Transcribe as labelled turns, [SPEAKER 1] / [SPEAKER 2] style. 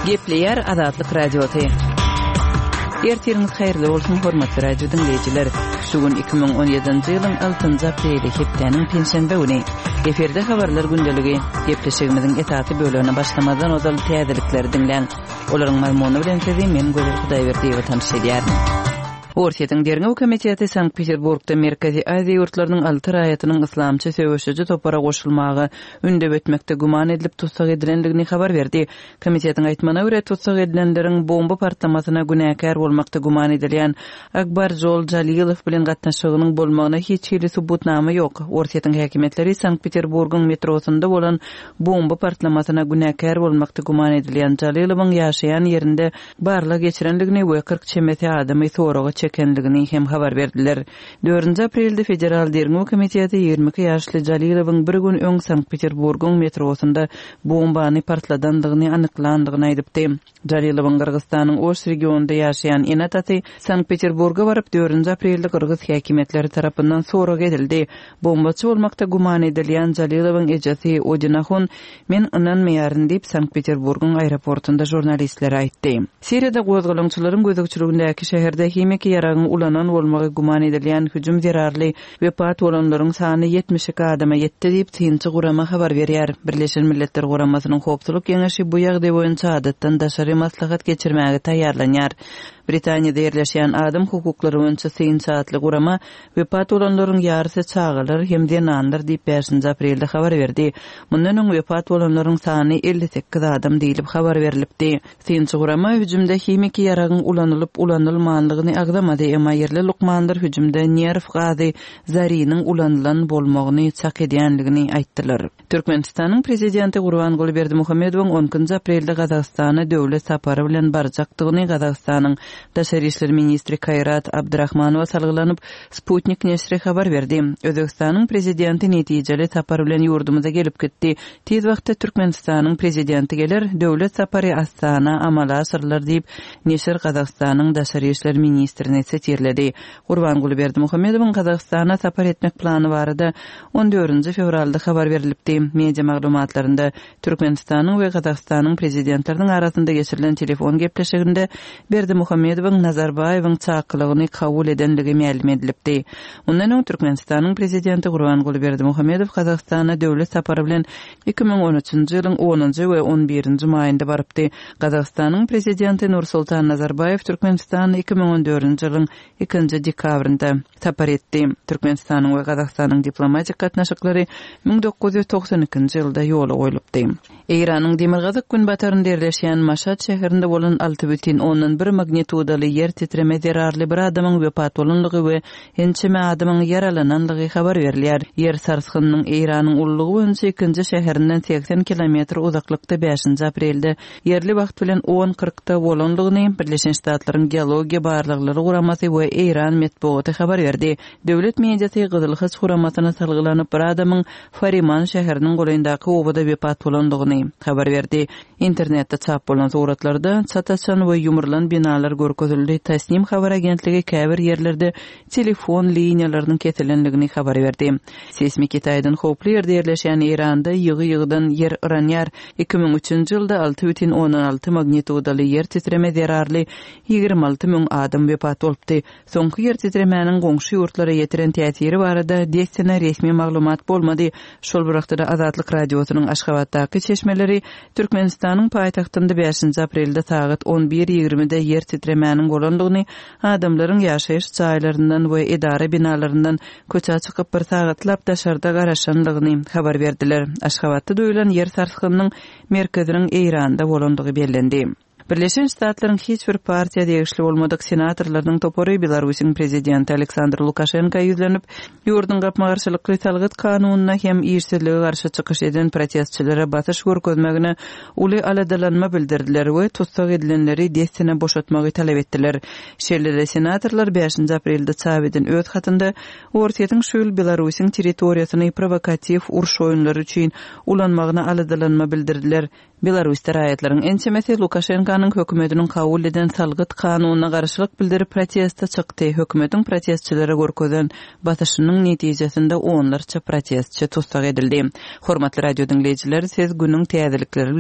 [SPEAKER 1] Gepleýär Azatlyk Radiosy. Ertiriňiz haýyrly bolsun, hormatly radio diňleýjiler. Şu gün 2017-nji ýylyň 6-njy apreli, hepdäniň penşenbe güni. Efirde habarlar gündeligi. Gepleşigimiziň esasy bölegine başlamazdan ozal täzelikleri diňläň. Olaryň mazmuny bilen sizi men Gözel Hudaýberdiýewa tanyş edýärin. Orsýetiň Derňew komiteti Sankt-Peterburgda Merkezi Aziýa ýurtlarynyň alty raýatynyň yslamçy söweşiji topara goşulmaga ündew etmekde güman edilip tussag edilendigini habar berdi. Komitetiň aýtmagyna görä, tussag edilenleriň bomba partlamasyna günäkär bolmakda güman edilýän Akbarjol Jalilow bilen gatnaşygynyň bolmagyna hiç hili subutnama ýok. Orsýetiň häkimiýetleri Sankt-Peterburgyň metrosynda bolan bomba partlamasyna günäkär bolmakda güman edilýän Jalilowyň ýaşaýan ýerinde barlag geçirendigini we 40 çemesi adamy soraga çekendigini hem habar berdiler. Dördünji aprelde Federal derňew komiteti 22 ýaşly Jalilowyň bir gün öň Sankt-Peterburgyň metrosynda bombany partladandygyny anyklandygyny aýdypdy. Jalilowyň Gyrgyzystanyň Oş regionynda ýaşaýan ene-atasy Sankt-Peterburga baryp, dördünji aprelde gyrgyz häkimiýetleri tarapyndan sorag edildi. Bombaçy bolmakda güman edilýän Jalilowyň ejesi Odinahun Men ynanmaýaryn diýip, Sankt-Peterburgyň aeroportunda žurnalistlere aýtdy. Siriýada gozgalaňçylaryň gözegçiligindäki şäherde himiki ýaragyň ulanan bolmagy güman edilýän hüjüm zerarly wepat bolanlaryň sany 72 adama ýetdi diýip, synçy gurama habar berýär. Birleşen Milletler Guramasynyň Howpsuzlyk Geňeşi bu ýagdaý boýunça adatdan daşary maslahat geçirmäge taýýarlanýar. Britaniýada ýerleşýän Adam hukuklary boýunça synçy atly gurama Wepat bolanlaryň ýarysy çagalar hem zenanlar diýip, bäşinji aprelde habar berdi. Mundan öň wepat bolanlaryň sany 58 adam diýlip habar berlipdi. Synçy gurama hüjümde himiki ýaragyň ulanylyp-ulanylmanlygyny agzamady, emma ýerli lukmanlar hüjümde nerw gazy zariniň ulanylan bolmagyny çak edýänligini aýtdylar. Türkmenistanyň Prezidenti Gurbanguly Berdimuhamedowyň on ikinji aprelde Gazagystana döwlet sapary bilen barjakdygyny Gazagystanyň Daşary işler ministri Kaýrat Abdrahmanowa salgylanyp, Sputnik neşiri habar berdi. Özbegistanyň Prezidenti netijeli sapar bilen ýurdumyza gelip gitdi. Tiz wagtda Türkmenistanyň Prezidenti geler, döwlet sapary Astana amala aşyrylar diýip, neşir Gazagystanyň Daşary işler ministrini sitirledi. Gurbanguly Berdimuhamedowyň Gazagystana sapar etmek plany barada on dördünji fewralda habar berlipdi. Media maglumatlarynda Türkmenistanyň we Gazagystanyň Prezidentleriniň arasynda geçirilen telefon gepleşiginde Berdimuhamedowyň Nazarbaýewiň çakylygyny kabul edenligi mälim edilipdi. Mundan öň Türkmenistanyň Prezidenti Gurbanguly Berdimuhamedow Gazagystana döwlet sapary bilen 2013-nji ýylyň onunjy we on birinji maýynda barypdy. Gazagystanyň Prezidenti Nursultan Nazarbaýew Türkmenistana 2014-nji ýylyň ikinji dekabrynda sapar etdi. Türkmenistanyň we Gazagystanyň diplomatik gatnaşyklary 1992-nji ýylda ýola goýlupdy. Eýranyň demirgazyk-günbatarynda ýerleşýän Maşat şäherinde bolan 6,1 magnitudaly ýer titreme zerarly bir adamyň wepat bolanlygy we ençeme adamyň ýaralananlygy habar berilýär. Ýer sarsgynynyň Eýranyň ululygy boýunça ikinji şäherinden 80 kilometr uzaklykda bäşinji aprelde ýerli wagt bilen on kyrkda bolandygyny Birleşen Ştatlaryň Geologiýa barlaglary guramasy we eýran metbugaty habar berdi. Döwlet mediasy Gyzyl Haç guramasyna salgylanyp, bir adamyň Fariman şäheriniň golaýyndaky obada wepat bolandygyny habar berdi. Internetde çap bolan suratlarda çat açan we ýumrulan binalar görkezildi, Tasnim habar agentligi käbir ýerlerde telefon liniýalarynyň kesilendigini habar berdi. Seýsmiki taýdan howply ýerde ýerleşýän Eýranda ýygy-ýygydan ýer yranýar. 2003-nji ýylda 6,6 magnitudaly ýer titreme zerarly 26 müň adam wepat bolupdy. Soňky ýer titremäniň goňşy ýurtlara ýetiren täsiri barada dessine resmi maglumat bolmady. Şol bir wagtda-da Azatlyk Radiosynyň Aşgabatdaky çeşmeleri Türkmenistanyň paýtagtynda bäşinji aprelde sagat on bir ýigrimide ýer titremäniň bolandygyny Adamlaryň ýaşaýyş jaýlaryndan we edara binalaryndan köçä çykyp bir sagatlap daşarda garaşandygyny habar berdiler. Aşgabatda duýulan ýer sarsgynynyň merkeziniň Eýranda bolandygy bellendi. Birleşen Ştatlaryň hiç bir partiýa degişli bolmadyk senatorlarynyň topary Belarusyň prezidenti Aleksandr Lukaşenka ýüzlenip, ýurduň gapma-garşylykly salgyt kanunyna hem işsizlige garşy çykyş eden protestçilere basyş görkezmegine uly aladalanma bildirdiler we tussag edilenleri dessine boşatmagy talap etdiler. Şeýle-de senatorlar bäşinji aprelde çap eden öz hatynda Orsýetiň şu ýyl Belarusyň territoriýasyny prowokatiw uruş oýunlary üçin ulanmagyna aladalanma bildirdiler. Belarusda raýatlaryň ençemesi Lukaşenkanyň hökümetiniň kabul eden salgyt kanunyna garşylyk bildirip proteste çykdy. Hökümetiň protestçilere görkezen basyşynyň netijesinde onlarça protestçi tussag edildi. Hormatly radio diňleýjiler, siz günüň täzelikleri bilen.